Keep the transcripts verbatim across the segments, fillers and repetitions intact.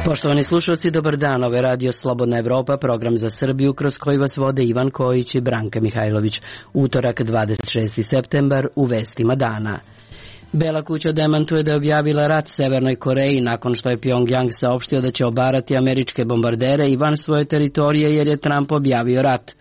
Poštovani slušalci, dobar dan. Ovo je Radio Slobodna Evropa, program za Srbiju kroz koji vas vode Ivan Kojić i Branka Mihajlović. Utorak, dvadeset šesti septembar, u vestima dana. Bela kuća demantuje da je objavila rat Severnoj Koreji nakon što je Pyongyang saopštio da će obarati američke bombardere i van svoje teritorije jer je Trump objavio rat.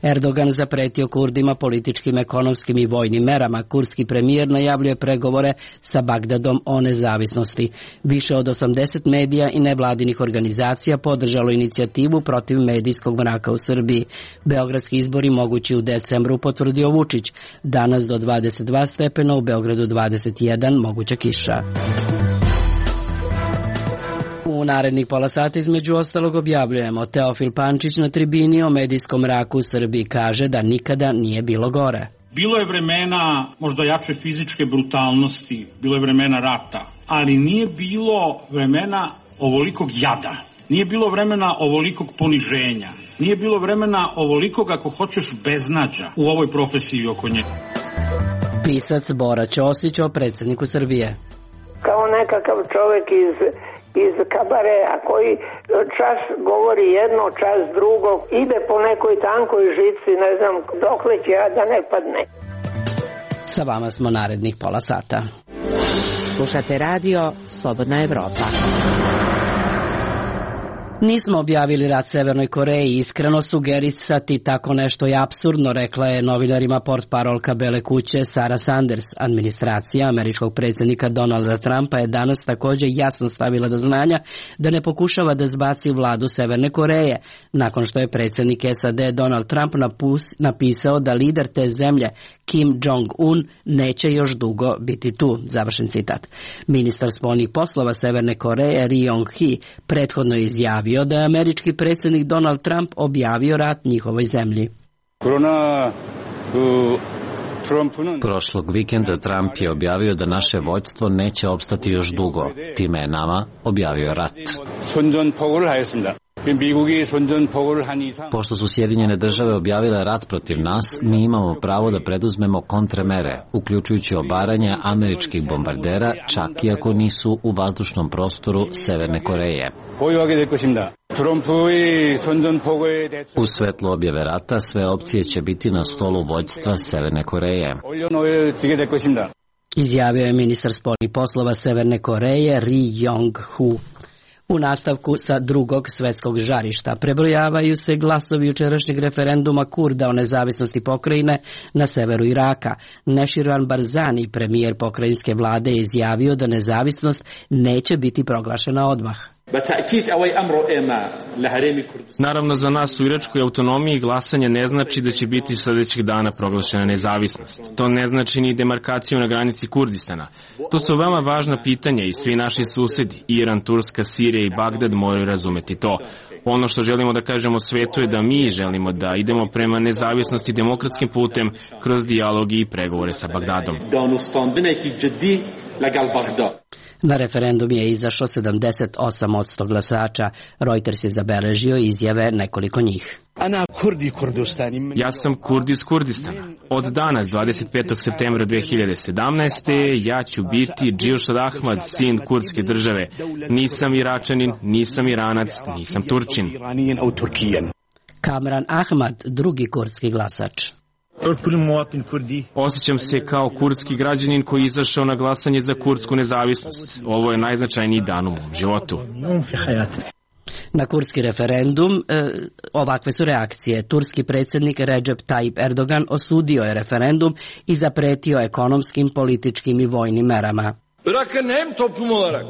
Erdogan zapretio Kurdima političkim, ekonomskim i vojnim merama. Kurdski premijer najavljuje pregovore sa Bagdadom o nezavisnosti. Više od osamdeset medija i nevladinih organizacija podržalo inicijativu protiv medijskog mraka u Srbiji. Beogradski izbori mogući u decembru, potvrdio Vučić. Danas do dvadeset dva stepena, u Beogradu dvadeset jedan, moguća kiša. U narednih pola sata između ostalog objavljujemo: Teofil Pančić na tribini o medijskom mraku u Srbiji kaže da nikada nije bilo gore. Bilo je vremena možda jače fizičke brutalnosti, bilo je vremena rata, ali nije bilo vremena ovolikog jada, nije bilo vremena ovolikog poniženja, nije bilo vremena ovolikog, ako hoćeš, beznađa u ovoj profesiji oko nje. Pisac Bora Ćosić o predsjedniku Srbije. Kao nekakav čovjek iz, iz kabarea koji čas govori jedno, čas drugo, ide po nekoj tankoj žici, ne znam dokle će, a da ne padne. Sa vama smo narednih pola sata. Slušate radio Slobodna Evropa. Nismo objavili rat Severnoj Koreji, iskreno sugerisati tako nešto je apsurdno, rekla je novinarima portparolka Bele kuće Sara Sanders. Administracija američkog predsjednika Donalda Trumpa je danas također jasno stavila do znanja da ne pokušava da zbaci vladu Severne Koreje, nakon što je predsjednik S A D Donald Trump napus, napisao da lider te zemlje Kim Jong-un neće još dugo biti tu, završen citat. Ministar spoljnih poslova Severne Koreje Ri Yong-hee prethodno je izjavio da je američki predsjednik Donald Trump objavio rat njihovoj zemlji. Korona, uh... Prošlog vikenda Trump je objavio da naše vojstvo neće opstati još dugo. Time je nama objavio rat. Pošto su Sjedinjene države objavile rat protiv nas, mi imamo pravo da preduzmemo kontremere, uključujući obaranje američkih bombardera, čak i ako nisu u vazdušnom prostoru Severne Koreje. U svetlu objave rata sve opcije će biti na stolu vođstva Severne Koreje, izjavio je ministar spoljnih poslova Severne Koreje Ri Yong-hoo. U nastavku sa drugog svetskog žarišta prebrojavaju se glasovi jučerašnjeg referenduma Kurda o nezavisnosti pokrajine na severu Iraka. Neširvan Barzani, premijer pokrajinske vlade, je izjavio da nezavisnost neće biti proglašena odmah. Naravno, za nas u iračkoj autonomiji glasanje ne znači da će biti sljedećeg dana proglašena nezavisnost. To ne znači ni demarkaciju na granici Kurdistana. To su veoma važna pitanja i svi naši susedi, Iran, Turska, Sirija i Bagdad, moraju razumeti to. Ono što želimo da kažemo svetu je da mi želimo da idemo prema nezavisnosti demokratskim putem kroz dijalog i pregovore sa Bagdadom. Na referendum je izašlo sedamdeset osam posto glasača. Reuters je zabeležio izjave nekoliko njih. Ja sam Kurd iz Kurdistana. Od danas, dvadeset petog septembra dve hiljade sedamnaeste. ja ću biti Džilšad Ahmad, sin kurdske države. Nisam Iračanin, nisam Iranac, nisam Turčin. Kamran Ahmad, drugi kurdski glasač. Osjećam se kao kurdski građanin koji je izašao na glasanje za kurdsku nezavisnost. Ovo je najznačajniji dan u mom životu. Na kurdski referendum e, ovakve su reakcije. Turski predsjednik Recep Tayyip Erdogan osudio je referendum i zapretio ekonomskim, političkim i vojnim merama. Bırakın hem toplum olarak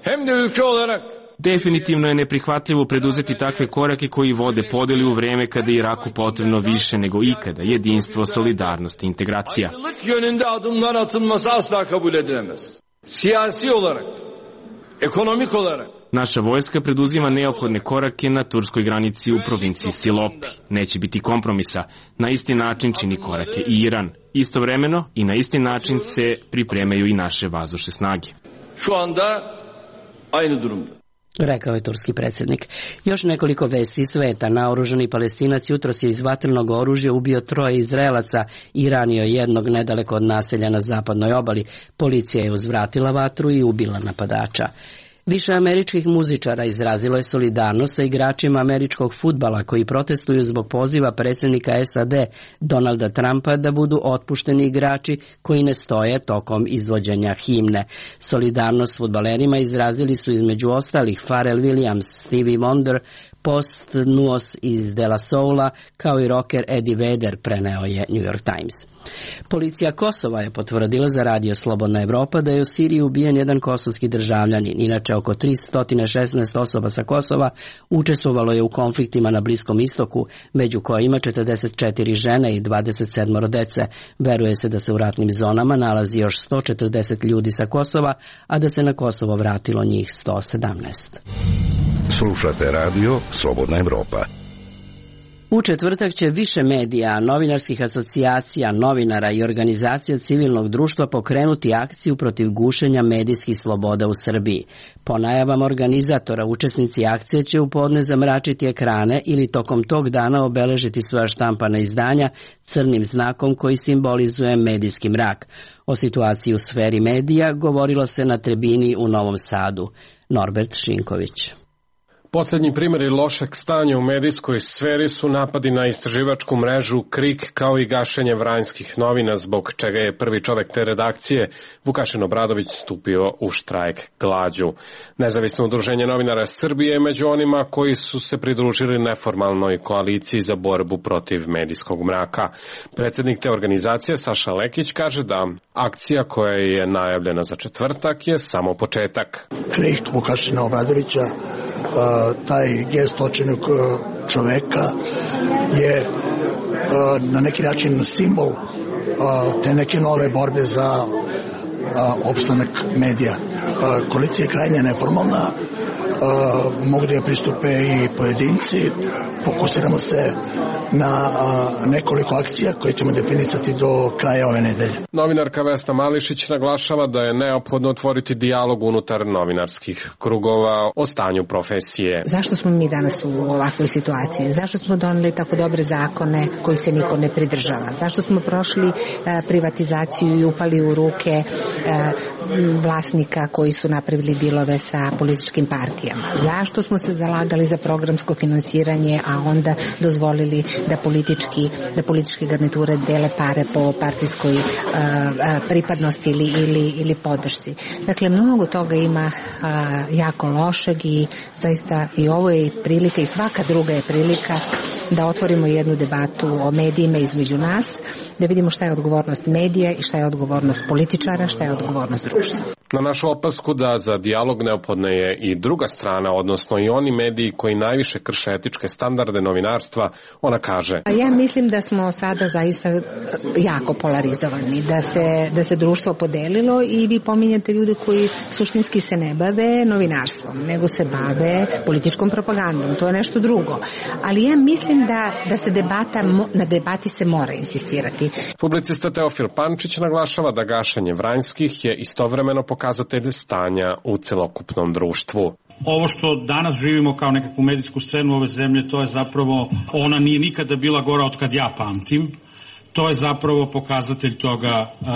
hem de ülke olarak. Definitivno je neprihvatljivo preduzeti takve korake koji vode podeli u vreme kada je Iraku potrebno više nego ikada jedinstvo, solidarnost i integracija. Ayrılık yönünde adımlar atılması asla kabul edilemez. Siyasi olarak, ekonomik olarak. Naša vojska preduzima neophodne korake na turskoj granici u provinciji Silopi. Neće biti kompromisa. Na isti način čini korake i Iran. Istovremeno i na isti način se pripremaju i naše vazdušne snage. Şu anda aynı durumda. Rekao je turski predsjednik. Još nekoliko vesti sveta. Naoružani Palestinac jutros je iz vatrenog oružja ubio troje Izraelaca i ranio jednog nedaleko od naselja na zapadnoj obali. Policija je uzvratila vatru i ubila napadača. Više američkih muzičara izrazilo je solidarnost sa igračima američkog fudbala koji protestuju zbog poziva predsjednika S A D Donalda Trumpa da budu otpušteni igrači koji ne stoje tokom izvođenja himne. Solidarnost s fudbalerima izrazili su između ostalih Pharrell Williams, Stevie Wonder, Post Nuos iz De La Soula, kao i rocker Eddie Vedder, preneo je New York Times. Policija Kosova je potvrdila za radio Slobodna Evropa da je u Siriji ubijen jedan kosovski državljanin. Inače, oko tristo šesnaest osoba sa Kosova učestvovalo je u konfliktima na Bliskom istoku, među kojima četrdeset četiri žene i dvadeset sedam dece. Veruje se da se u ratnim zonama nalazi još sto četrdeset ljudi sa Kosova, a da se na Kosovo vratilo njih sto sedamnaest. Slušate radio Slobodna Evropa. U četvrtak će više medija, novinarskih asocijacija, novinara i organizacija civilnog društva pokrenuti akciju protiv gušenja medijskih sloboda u Srbiji. Po najavama organizatora, učesnici akcije će u podne zamračiti ekrane ili tokom tog dana obeležiti svoja štampana izdanja crnim znakom koji simbolizuje medijski mrak. O situaciji u sferi medija govorilo se na tribini u Novom Sadu. Norbert Šinković. Poslednji primjeri lošeg stanja u medijskoj sferi su napadi na istraživačku mrežu KRIK kao i gašenje vranjskih novina, zbog čega je prvi čovek te redakcije, Vukašin Obradović, stupio u štrajk glađu. Nezavisno udruženje novinara Srbije je među onima koji su se pridružili neformalnoj koaliciji za borbu protiv medijskog mraka. Predsednik te organizacije Saša Lekić kaže da akcija koja je najavljena za četvrtak je samo početak. KRIK Vukašina Obradovića, taj gest očajnog čoveka je na neki način simbol te neke nove borbe za opstanak medija. Koalicija je krajnje neformalna, mogu da je pristupe i pojedinci. Fokusiramo se na nekoliko akcija koje ćemo definisati do kraja ove nedelje. Novinarka Vesna Mališić naglašava da je neophodno otvoriti dijalog unutar novinarskih krugova o stanju profesije. Zašto smo mi danas u ovakvoj situaciji? Zašto smo doneli tako dobre zakone koji se niko ne pridržava? Zašto smo prošli privatizaciju i upali u ruke vlasnika koji su napravili dilove sa političkim partijama? Zašto smo se zalagali za programsko finansiranje, a onda dozvolili da politički, da političke garniture dele pare po partijskoj uh, pripadnosti ili, ili, ili podršci. Dakle, mnogo toga ima uh, jako lošeg i zaista i ovo je prilika i svaka druga je prilika da otvorimo jednu debatu o medijima između nas, da vidimo šta je odgovornost medija i šta je odgovornost političara, šta je odgovornost društva. Na našu opasku da za dijalog neophodna je i druga strana, odnosno i oni mediji koji najviše krše etičke standarde novinarstva, ona kaže. Ja mislim da smo sada zaista jako polarizovani, da se, da se društvo podelilo i vi pominjate ljude koji suštinski se ne bave novinarstvom, nego se bave političkom propagandom, to je nešto drugo. Ali ja mislim da, da se debata, na debati se mora insistirati. Publicista Teofil Pančić naglašava da gašenje vranjskih je istovremeno pokazatelj stanja u celokupnom društvu. Ovo što danas živimo kao nekakvu medijsku scenu ove zemlje, to je zapravo, ona nije nikada bila gora od kad ja pamtim. To je zapravo pokazatelj toga uh,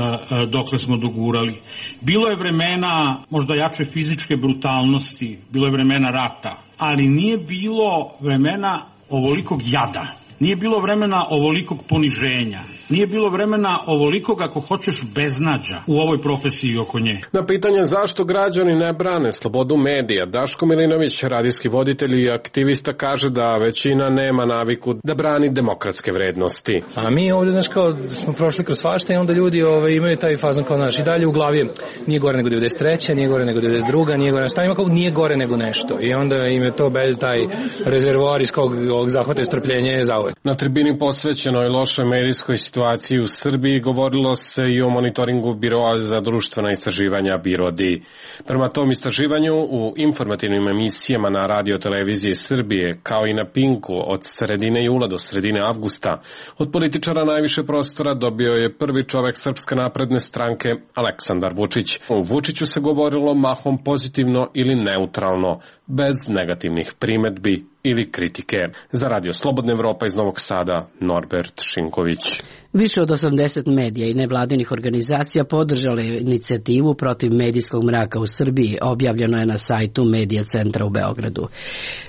dokle smo dogurali. Bilo je vremena možda jače fizičke brutalnosti, bilo je vremena rata, ali nije bilo vremena ovolikog jada. Nije bilo vremena ovolikog poniženja. Nije bilo vremena ovolikog, ako hoćeš, beznađa u ovoj profesiji oko nje. Na pitanje zašto građani ne brane slobodu medija, Daško Milinović, radijski voditelj i aktivista, kaže da većina nema naviku da brani demokratske vrednosti. A mi ovdje, znaš, kao smo prošli kroz svašta i onda ljudi ove, imaju taj fazon kao naš i dalje u glavi nije gore nego devedeset treća, nije gore nego devedeset druga, nije gore, šta ima kao nije gore nego nešto. I onda im je to bez taj rezervoar iz kog ovog zahvata i strpljenja za uvek. Na tribini posvećenoj lošoj medijskoj situaciji u Srbiji govorilo se i o monitoringu Biroa za društvena istraživanja BIRODI. Prema tom istraživanju u informativnim emisijama na radio televiziji Srbije, kao i na Pinku od sredine jula do sredine avgusta, od političara najviše prostora dobio je prvi čovek Srpske napredne stranke Aleksandar Vučić. O Vučiću se govorilo mahom pozitivno ili neutralno, bez negativnih primetbi ili kritike. Za Radio Slobodna Evropa iz Novog Sada, Norbert Šinković. Više od osamdeset medija i nevladinih organizacija podržale inicijativu protiv medijskog mraka u Srbiji, objavljeno je na sajtu Medija centra u Beogradu.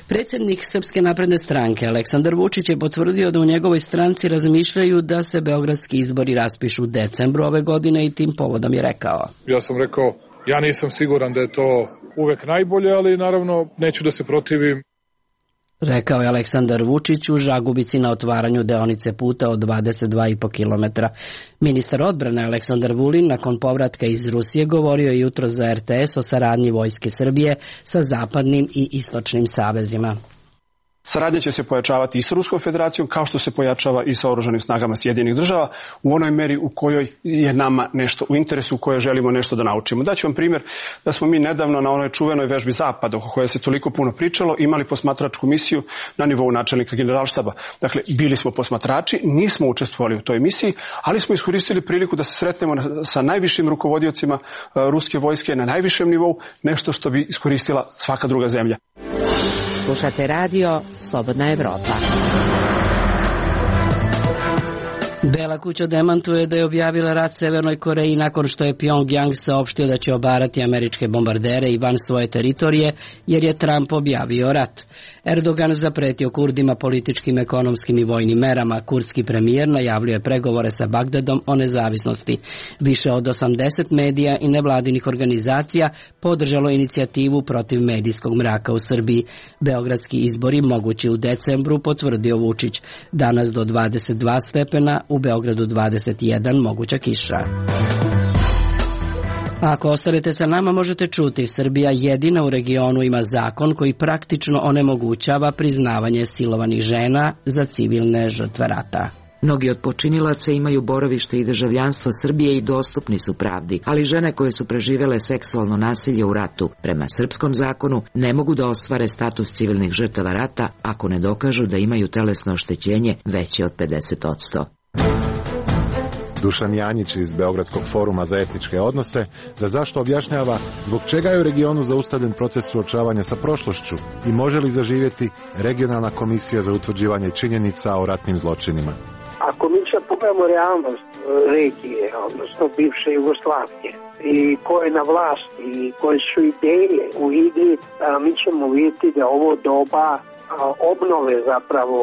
Predsjednik Srpske napredne stranke Aleksandar Vučić je potvrdio da u njegovoj stranci razmišljaju da se beogradski izbori raspišu u decembru ove godine i tim povodom je rekao. Ja sam rekao, ja nisam siguran da je to uvek najbolje, ali naravno neću da se protivim. Rekao je Aleksandar Vučić u Žagubici na otvaranju deonice puta od dvadeset dva i po kilometra. Ministar odbrane Aleksandar Vulin nakon povratka iz Rusije govorio je jutro za er te es o saradnji Vojske Srbije sa zapadnim i istočnim savezima. Saradnja će se pojačavati i sa Ruskom federacijom kao što se pojačava i sa oružanim snagama Sjedinjenih država u onoj meri u kojoj je nama nešto u interesu, u kojoj želimo nešto da naučimo. Daću vam primjer da smo mi nedavno na onoj čuvenoj vežbi Zapada, o kojoj se toliko puno pričalo, imali posmatračku misiju na nivou načelnika generalštaba. Dakle, bili smo posmatrači, nismo učestvovali u toj misiji, ali smo iskoristili priliku da se sretnemo sa najvišim rukovodiocima ruske vojske na najvišem nivou, nešto što bi iskoristila svaka druga zemlja. Slušate radio Slobodna Evropa. Bela kuća demantuje da je objavila rat Severnoj Koreji nakon što je Pyongyang saopštio da će obarati američke bombardere i van svoje teritorije, jer je Trump objavio rat. Erdogan zapretio Kurdima političkim, ekonomskim i vojnim merama. Kurdski premijer najavljuje pregovore sa Bagdadom o nezavisnosti. Više od osamdeset medija i nevladinih organizacija podržalo inicijativu protiv medijskog mraka u Srbiji. Beogradski izbori mogući u decembru, potvrdio Vučić. Danas do dvadeset dva stepena, u Beogradu dvadeset jedan, moguća kiša. Ako ostanete sa nama, možete čuti, Srbija jedina u regionu ima zakon koji praktično onemogućava priznavanje silovanih žena za civilne žrtve rata. Mnogi od počinilaca imaju boravište i državljanstvo Srbije i dostupni su pravdi, ali žene koje su preživele seksualno nasilje u ratu, prema srpskom zakonu, ne mogu da ostvare status civilnih žrtava rata ako ne dokažu da imaju telesno oštećenje veće od pedeset posto. Dušan Janjić iz Beogradskog foruma za etičke odnose za zašto objašnjava zbog čega je u regionu zaustavljen proces suočavanja sa prošlošću i može li zaživjeti regionalna komisija za utvrđivanje činjenica o ratnim zločinima. Ako mi sad pogledamo realnost regije, odnosno bivše Jugoslavije, i ko je na vlasti i koje su ideje u igri, mi ćemo vidjeti da ovo doba obnove zapravo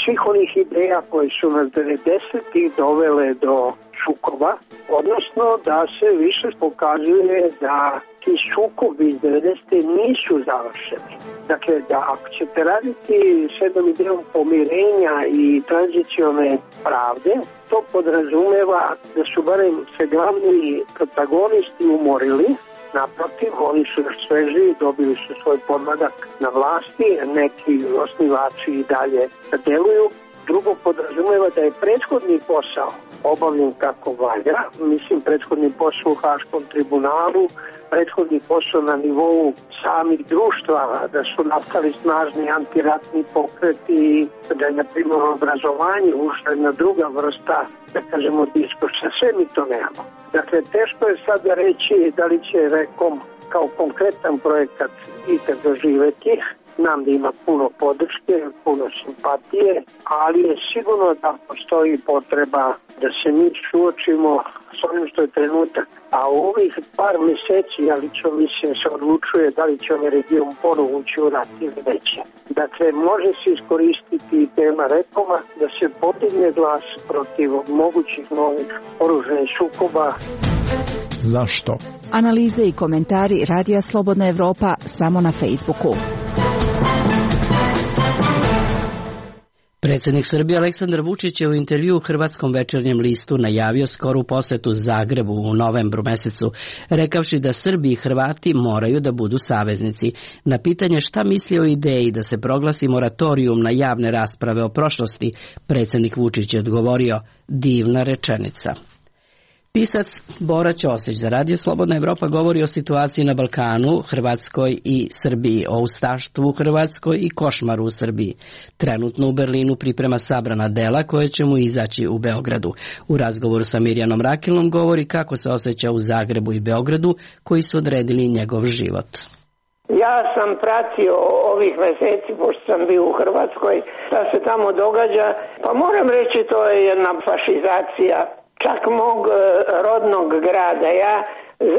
svih onih ideja koje su nas devedesetih dovele do sukoba, odnosno da se više pokazuje da ti sukobi iz devedesete nisu završeni. Dakle, da ako ćete raditi s jednom idejom pomirenja i tranzicione pravde, to podrazumeva da su barem se glavni protagonisti umorili. Naprotiv, oni su još sveži, dobili su svoj podmladak na vlasti, neki osnivači i dalje deluju. Drugo, podrazumeva da je prethodni posao obavljen kako valja, mislim prethodni posao u Haškom tribunalu, prethodni posao na nivou samih društva, da su nastali snažni antiratni pokreti, da je na primjer obrazovanje ušla jedna druga vrsta, da kažemo, diskursa. Sve mi to nemamo. Dakle, teško je sada reći da li će Rekom kao konkretan projekat ikad doživeti. Znam da ima puno podrške, puno simpatije, ali je sigurno da postoji potreba da se mi suočimo s onim što je trenutak. A u ovih par mjeseci, ja lično mislim, se odlučuje da li će ovaj region ponovo ući u rat ili neće. Dakle, može se iskoristiti tema Rekoma da se podigne glas protiv mogućih novih oružanih sukoba. Zašto? Analize i komentari Radija Slobodna Evropa samo na Facebooku. Predsjednik Srbije Aleksandar Vučić je u intervju u Hrvatskom večernjem listu najavio skoru posetu Zagrebu u novembru mesecu, rekavši da Srbi i Hrvati moraju da budu saveznici. Na pitanje šta misli o ideji da se proglasi moratorijum na javne rasprave o prošlosti, predsjednik Vučić je odgovorio: divna rečenica. Pisac Bora Ćosić za Radio Slobodna Evropa govori o situaciji na Balkanu, Hrvatskoj i Srbiji, o ustaštvu u Hrvatskoj i košmaru u Srbiji. Trenutno u Berlinu priprema sabrana dela koje će mu izaći u Beogradu. U razgovoru sa Mirjanom Rakilom govori kako se osjeća u Zagrebu i Beogradu koji su odredili njegov život. Ja sam pratio ovih meseci, pošto sam bio u Hrvatskoj, šta se tamo događa, pa moram reći to je jedna fašizacija čak mog rodnog grada. Ja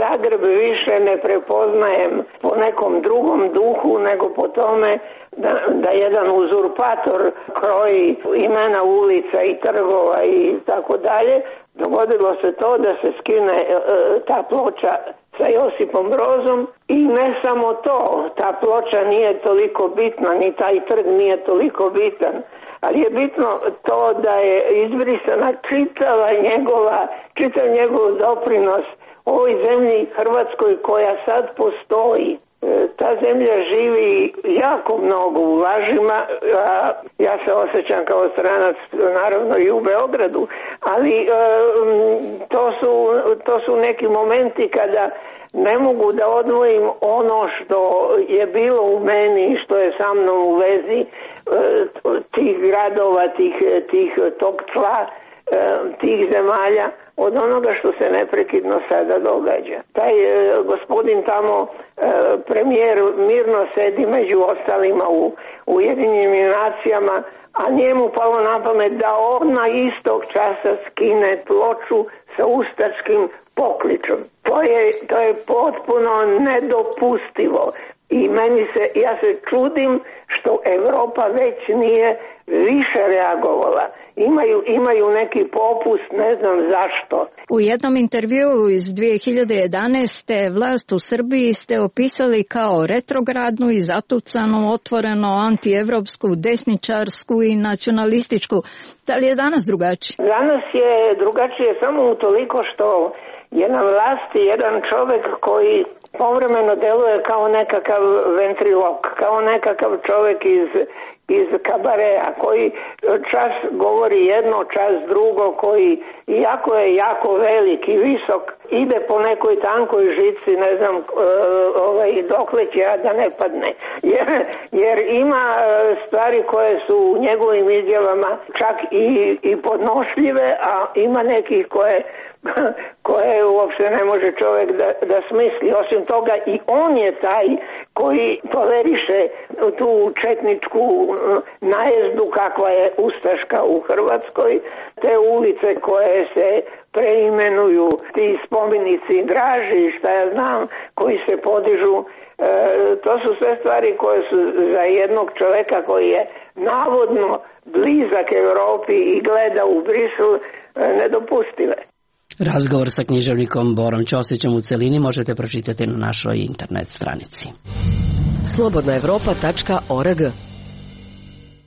Zagreb više ne prepoznajem po nekom drugom duhu nego po tome da, da jedan uzurpator kroji imena ulica i trgova i tako dalje. Dogodilo se to da se skine e, ta ploča sa Josipom Brozom i ne samo to, ta ploča nije toliko bitna, ni taj trg nije toliko bitan, ali je bitno to da je izbrisana čitava njegova, čitav njegov doprinos ovoj zemlji Hrvatskoj koja sad postoji. Ta zemlja živi jako mnogo u lažima, a ja se osjećam kao stranac naravno i u Beogradu, ali to su, to su neki momenti kada ne mogu da odvojim ono što je bilo u meni i što je sa mnom u vezi tih gradova, tih, tih tog tla, tih zemalja, od onoga što se neprekidno sada događa. Taj e, gospodin tamo, e, premijer, mirno sedi među ostalima u Ujedinjenim nacijama, a njemu palo na pamet da odmah istog časa skine ploču sa ustaškim pokličom. To je, to je potpuno nedopustivo. I meni se, ja se čudim što Evropa već nije više reagovala. Imaju, imaju neki popust, ne znam zašto. U jednom intervjuu iz dvije hiljade jedanaeste vlast u Srbiji ste opisali kao retrogradnu i zatucanu, otvoreno antievropsku, desničarsku i nacionalističku. Da li je danas drugačije? Danas je drugačije samo utoliko što je na vlasti jedan čovjek koji povremeno deluje kao nekakav ventrilok, kao nekakav čovjek iz, iz kabarea, koji čas govori jedno, čas drugo, koji iako je jako velik i visok, ide po nekoj tankoj žici, ne znam ovaj, dokle će da ne padne. Jer, jer ima stvari koje su u njegovim izjavama čak i, i podnošljive, a ima nekih koje koje uopšte ne može čovjek da, da smisli. Osim toga i on je taj koji toleriše tu četničku najezdu kakva je ustaška u Hrvatskoj, te ulice koje se preimenuju, ti spomenici Draži, šta ja znam, koji se podižu. E, to su sve stvari koje su za jednog čovjeka koji je navodno blizak Europi i gleda u Brisel e, nedopustive. Razgovor sa književnikom Borom Ćosićem u celini možete pročitati na našoj internet stranici. slobodna evropa tačka org.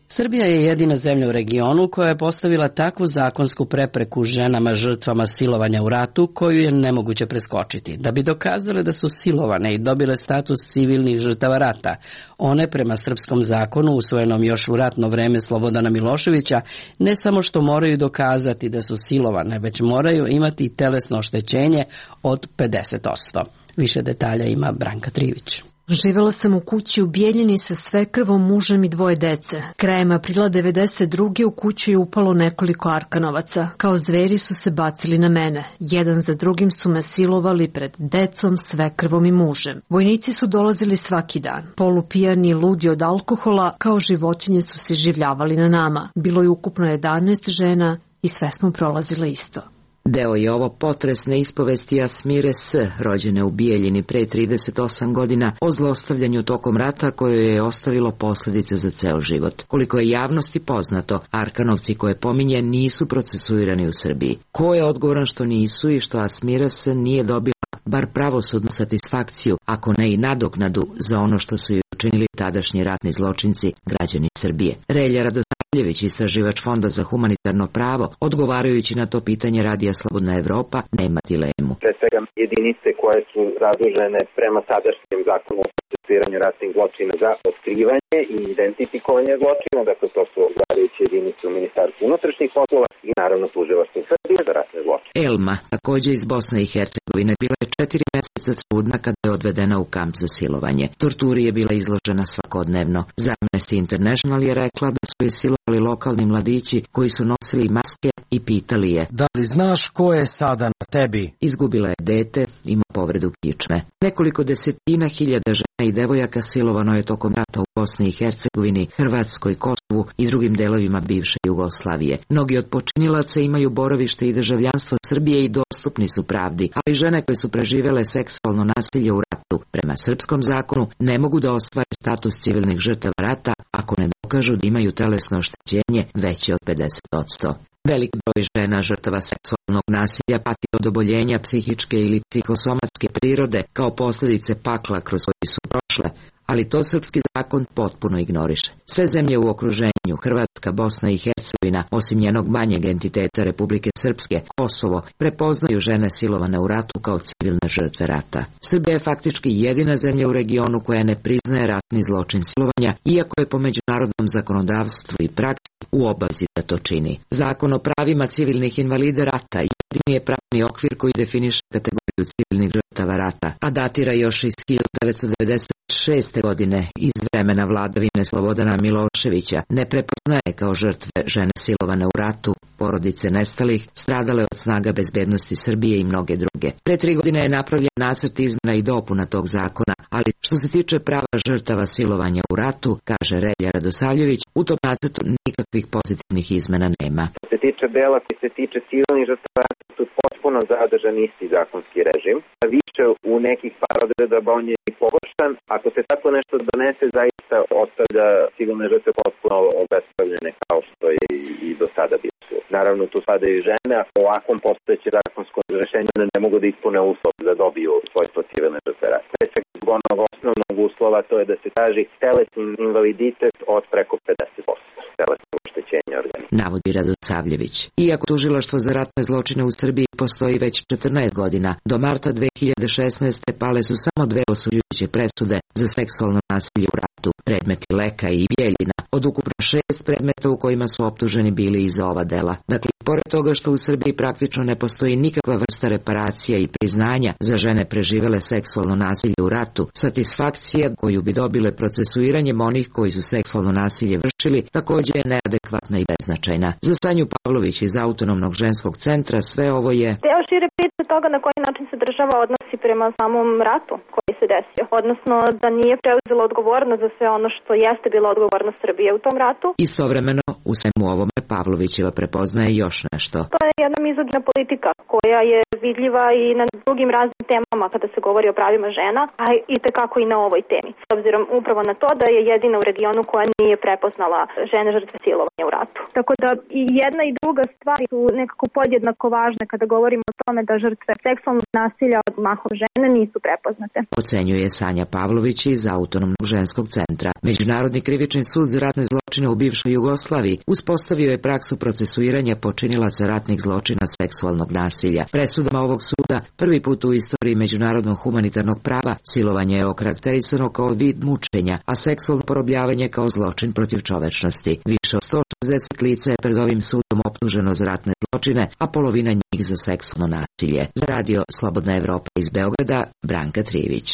Srbija je jedina zemlja u regionu koja je postavila takvu zakonsku prepreku ženama žrtvama silovanja u ratu koju je nemoguće preskočiti. Da bi dokazale da su silovane i dobile status civilnih žrtava rata, one prema srpskom zakonu usvojenom još u ratno vreme Slobodana Miloševića ne samo što moraju dokazati da su silovane, već moraju imati telesno oštećenje od pedeset posto. Više detalja ima Branka Trivić. Živela sam u kući u Bijeljini sa svekrvom, mužem i dvoje dece. Krajem aprila devedeset druge u kuću je upalo nekoliko Arkanovaca. Kao zveri su se bacili na mene. Jedan za drugim su me silovali pred decom, svekrvom i mužem. Vojnici su dolazili svaki dan. Polupijani i ludi od alkohola, kao životinje su se življavali na nama. Bilo je ukupno jedanaest žena i sve smo prolazile isto. Deo je ovo potresne ispovesti Asmire S., rođene u Bijeljini pre trideset osam godina, o zlostavljanju tokom rata koje je ostavilo posljedice za ceo život. Koliko je javnosti poznato, Arkanovci koje pominje nisu procesuirani u Srbiji. Ko je odgovoran što nisu i što Asmira S. nije dobila bar pravosudnu satisfakciju, ako ne i nadoknadu za ono što su joj učinili tadašnji ratni zločinci, građani Srbije? Relja Radosavljević, istraživač Fonda za humanitarno pravo, odgovarajući na to pitanje Radija Slobodna Evropa, nema dilemu. Pre svega jedinice koje su zadužene prema sadašnjem zakonu o procesuiranju ratnih zločina za otkrivanje i identifikovanje zločina, dakle to su odgovarajuće jedinice u Ministarstvu unutrašnjih poslova i naravno tužilaštvo Srbije za ratne zločine. Elma, takođe iz Bosne i Hercegovine, bila je četiri meseca trudna kada je odvedena u kamp za silovanje. Torturi je bila izložena svakodnevno. Za Amnesty International je rekla da su je silovali lokalni mladići koji su nosili maske i pitali je: da li znaš ko je sada na tebi? Izgubila je dete, ima povredu kičme. Nekoliko desetina hiljada žena i devojaka silovano je tokom rata u Bosni i Hercegovini, Hrvatskoj, Kosovu i drugim delovima bivše Jugoslavije. Mnogi od počinilaca imaju boravište i državljanstvo Srbije i dostupni su pravdi, ali žene koje su preživele seksualno nasilje u ratu prema srpskom zakonu ne mogu da ostvare status civilnih žrtava rata ako ne dokažu da imaju telesno oštećenje veće od pedeset posto. Velik broj žena žrtava seksualnog nasilja pati od oboljenja psihičke ili psihosomatske prirode kao posljedice pakla kroz koji su prošle, ali to srpski zakon potpuno ignoriše. Sve zemlje u okruženju, Hrvatska, Bosna i Hercegovina, osim njenog manjeg entiteta Republike Srpske, Kosovo, prepoznaju žene silovane u ratu kao civilne žrtve rata. Srbija je faktički jedina zemlja u regionu koja ne priznaje ratni zločin silovanja, iako je po međunarodnom zakonodavstvu i praksi u obavezi da to čini. Zakon o pravima civilnih invalida rata jedini je pravni okvir koji definiše kategoriju civilnih žrtava rata, a datira još iz hiljadu devetsto devedeset šeste. godine iz vremena vladavine Slobodana Miloševića. Ne prepoznaje kao žrtve žene silovane u ratu, porodice nestalih, stradale od snaga bezbednosti Srbije i mnoge druge. Pre tri godine je napravljen nacrt izmena i dopuna tog zakona, ali što se tiče prava žrtava silovanja u ratu, kaže Relja Radosavljević, u tom nacrtu nikakvih pozitivnih izmena nema. Što se tiče dela koji se tiče civilnih žrtava rata, tu potpuno zadržan isti zakonski režim. Više u nekih par odredaba on je i pogoršan. Ako se tako nešto donese, zaista ostavlja civilne žrtve potpuno obespravljene kao što je i do sada bilo. Naravno, tu spadaju i žene, a po ovakvom postojeće zakonsko rešenje ne mogu da ispune uslov da dobiju svojstvo civilne žrtve rata. Pre svega zbog onog osnovnog uslova, to je da se traži telesni invaliditet od preko pedeset posto. Telesno oštećenje organizma. Navodi Radosavljević. Iako tužilaštvo za ratne zločine u Srbiji postoji već četrnaest godina, do marta dve hiljade šesnaeste. pale su samo dve osuđujuće presude za seksualno nasilje u ratu, predmeti Leka i Bjeljina, od ukupno šest predmeta u kojima su optuženi bili i za ova dela. Dakle, pored toga što u Srbiji praktično ne postoji nikakva vrsta reparacija i priznanja za žene preživele seksualno nasilje u ratu, satisfakcija koju bi dobile procesuiranjem onih koji su seksualno nasilje vršili također je neadekvatna i beznačajna. Za Sanju Pavlović iz Autonomnog ženskog centra sve ovo je deo šire priče toga na koji način se država odnosi prema samom ratu koji se desio, odnosno da nije preuzela odgovornost za sve ono što jeste bila odgovornost Srbije u tom ratu. Istovremeno, u svemu ovome Pavlovićeva prepoznaje još nešto. To je jedna mizogina politika koja je vidljiva i na drugim raznim temama kada se govori o pravima žena, a i tekako i na ovoj temi. S obzirom upravo na to da je jedina u regionu koja nije prepoznala žene žrtve silovanja u ratu. Tako da i jedna i druga stvar su nekako podjednako važne kada govorimo o tome da žrtve seksualnog nasilja od mahom žene nisu prepoznate. Ocenjuje Sanja Pavlović iz Autonomnog ženskog centra. Međunarodni krivični sud za ratne zločine u bivšoj Jugoslaviji uspostavio je praksu procesuiranja počinilaca ratnih zločina seksualnog nasilja. Presudama ovog suda prvi put u istoriji međunarodnog humanitarnog prava silovanje je okarakterisano kao vid mučenja, a seksualno porobljavanje kao zločin protiv čovečnosti. Više od sto šezdeset lica je pred ovim sudom optuženo za ratne zločine, a polovina njih za seksualno nasilje. Za radio Slobodna Evropa iz Beograda, Branka Trivić.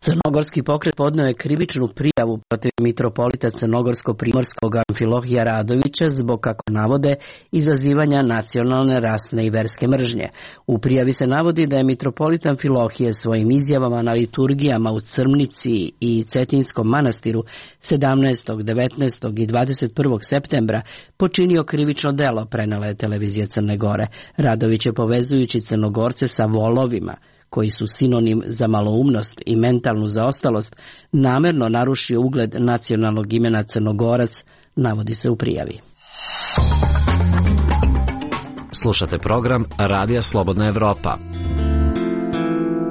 Crnogorski pokret podneo je krivičnu prijavu protiv mitropolita Crnogorsko-primorskog Amfilohija Radovića zbog, kako navode, izazivanja nacionalne, rasne i verske mržnje. U prijavi se navodi da je mitropolit Amfilohije svojim izjavama na liturgijama u Crmnici i Cetinskom manastiru sedamnaestog, devetnaestog i dvadeset prvog septembra počinio krivično delo, prenela je televizija Crne Gore. Radović je, povezujući Crnogorce sa volovima, koji su sinonim za maloumnost i mentalnu zaostalost, namerno narušio ugled nacionalnog imena Crnogorac, navodi se u prijavi. Slušate program Radija Slobodna Evropa.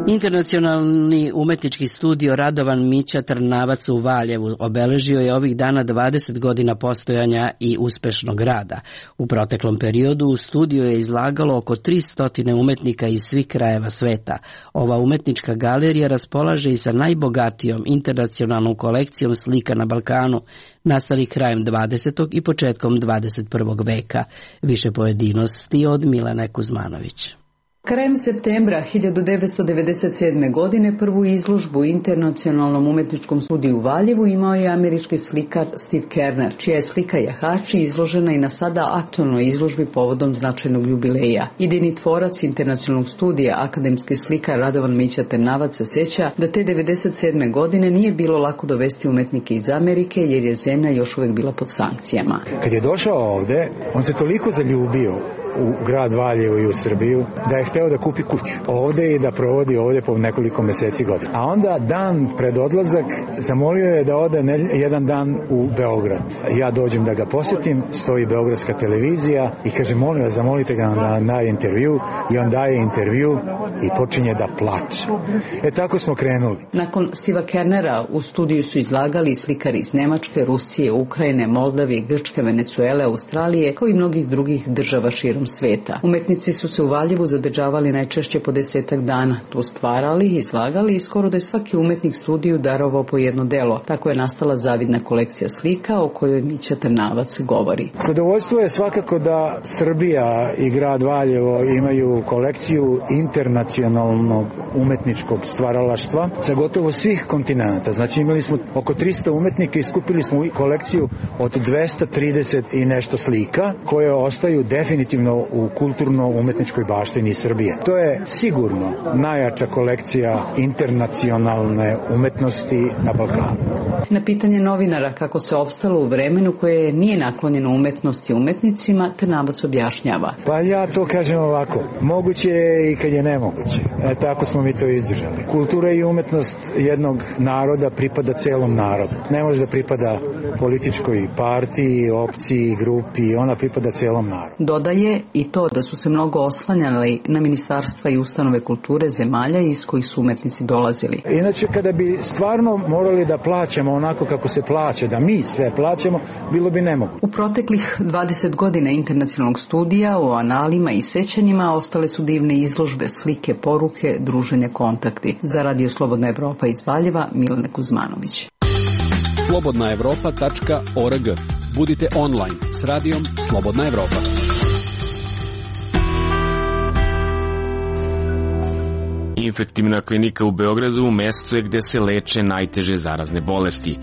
Internacionalni umetnički studio Radovan Mića Trnavac u Valjevu obeležio je ovih dana dvadeset godina postojanja i uspešnog rada. U proteklom periodu u studiju je izlagalo oko tristo umetnika iz svih krajeva sveta. Ova umetnička galerija raspolaže i sa najbogatijom internacionalnom kolekcijom slika na Balkanu, nastali krajem dvadesetog i početkom dvadeset prvog veka. Više pojedinosti od Milene Kuzmanović. Krajem septembra hiljadu devetsto devedeset sedme. godine prvu izložbu u Internacionalnom umetničkom studiju u Valjevu imao je američki slikar Steve Kerner, čija je slika Jahači izložena i na sada aktualnoj izložbi povodom značajnog jubileja. Idejni tvorac Internacionalnog studija, akademski slikar Radovan Mića Trnavac se sjeća da te devedeset sedme. godine nije bilo lako dovesti umetnike iz Amerike jer je zemlja još uvijek bila pod sankcijama. Kad je došao ovde, on se toliko zaljubio u grad Valjevo i u Srbiju, da je hteo da kupi kuću ovde i da provodi ovde po nekoliko meseci godina. A onda dan pred odlazak zamolio je da ode jedan dan u Beograd. Ja dođem da ga posjetim, stoji beogradska televizija i kaže, molim vas, zamolite ga na, na intervju, i on daje intervju i počinje da plače. E tako smo krenuli. Nakon Stiva Kernera u studiju su izlagali slikari iz Nemačke, Rusije, Ukrajine, Moldavije, Grčke, Venezuele, Australije, kao i mnogih drugih država širom sveta. Umetnici su se u Valjevu zadržavali najčešće po desetak dana. Tu stvarali, izlagali i skoro da je svaki umetnik studiju darovao po jedno delo. Tako je nastala zavidna kolekcija slika o kojoj Mića Trnavac govori. Zadovoljstvo je svakako da Srbija i grad Valjevo imaju kolekciju internacionalnog umetničkog stvaralaštva sa gotovo svih kontinenta. Znači imali smo oko tristo umetnika i skupili smo kolekciju od dvesta trideset i nešto slika koje ostaju definitivno u kulturno-umetničkoj baštini Srbije. To je sigurno najjača kolekcija internacionalne umetnosti na Balkanu. Na pitanje novinara kako se opstalo u vremenu koje nije naklonjeno umetnosti i umetnicima, Trnavac objašnjava. Pa ja to kažem ovako, moguće je i kad je nemoguće. E, tako smo mi to izdržali. Kultura i umetnost jednog naroda pripada celom narodu. Ne može da pripada političkoj partiji, opciji, grupi, ona pripada celom narodu. Dodaje i to da su se mnogo oslanjali na ministarstva i ustanove kulture zemalja iz kojih su umetnici dolazili. Inače, kada bi stvarno morali da plaćamo onako kako se plaća, da mi sve plaćamo, bilo bi nemoguće. U proteklih dvadeset godina Internacionalnog studija u analima i sećanjima ostale su divne izložbe, slike, poruke, druženje, kontakti. Za Radio Slobodna Evropa iz Valjeva, Milena Kuzmanović. slobodna evropa tačka org. Budite online s radijom Slobodna Evropa. Infektivna klinika u Beogradu mesto je gde se leče najteže zarazne bolesti.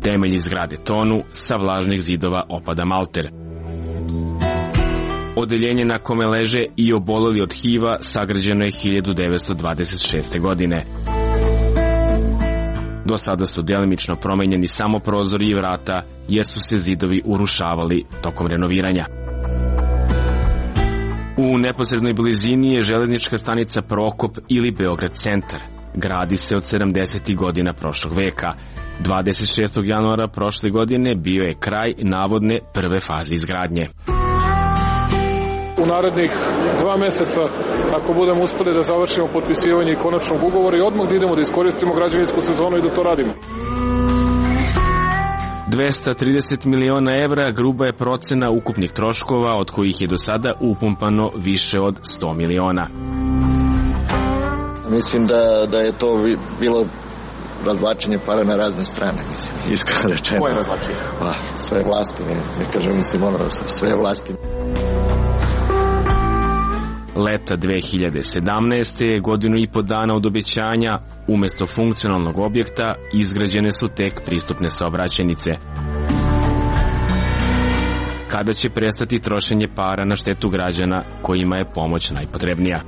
Temelji zgrade tonu, sa vlažnih zidova opada malter. Odeljenje na kome leže i oboleli od H I V-a sagrađeno je hiljadu devetsto dvadeset šeste. godine. Do sada su delimično promenjeni samo prozori i vrata, jer su se zidovi urušavali tokom renoviranja. U neposrednoj blizini je železnička stanica Prokop ili Beograd centar. Gradi se od sedamdesetih godina prošlog veka. dvadeset šestog januara prošle godine bio je kraj navodne prve faze izgradnje. U narednih dva meseca, ako budemo uspeli da završimo potpisivanje i konačnog ugovora, i odmah da idemo da iskoristimo građevinsku sezonu i da to radimo. dvesta trideset miliona evra gruba je procena ukupnih troškova, od kojih je do sada upumpano više od sto miliona. Mislim da, da je to bilo razvlačenje para na razne strane, mislim, iskreno rečeno. Koje razvlačenje? Pa, sve vlasti, ne, ne kažem, mislim, ono, sve vlasti. Leta dve hiljade sedamnaeste. godinu i po dana od obećanja, umesto funkcionalnog objekta izgrađene su tek pristupne saobraćajnice. Kada će prestati trošenje para na štetu građana kojima je pomoć najpotrebnija?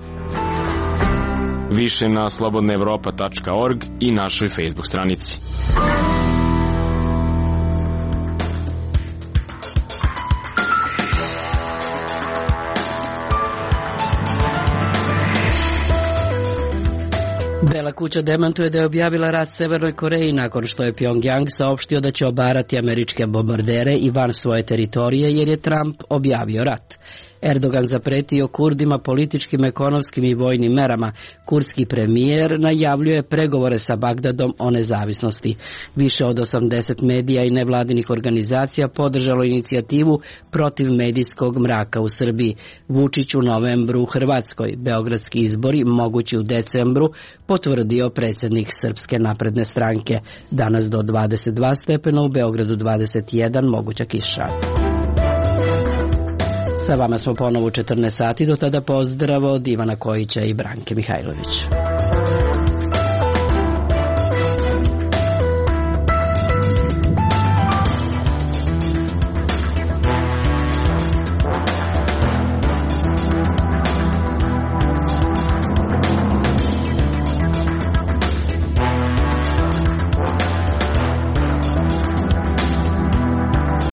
Više na slobodna evropa tačka org i našoj Facebook stranici. Bela kuća demantuje da je objavila rat Severnoj Koreji nakon što je Pjongjang saopštio da će obarati američke bombardere i van svoje teritorije jer je Trump objavio rat. Erdogan zapretio Kurdima političkim, ekonomskim i vojnim merama. Kurdski premijer najavljuje pregovore sa Bagdadom o nezavisnosti. Više od osamdeset medija i nevladinih organizacija podržalo inicijativu protiv medijskog mraka u Srbiji. Vučić u novembru u Hrvatskoj. Beogradski izbori mogući u decembru, potvrdio predsjednik Srpske napredne stranke. Danas do dvadeset dva stepena, u Beogradu dvadeset jedan, moguća kiša. Sa vama smo ponovo u četrnaest sati, do tada pozdrav od Ivana Kojića i Branke Mihajlović.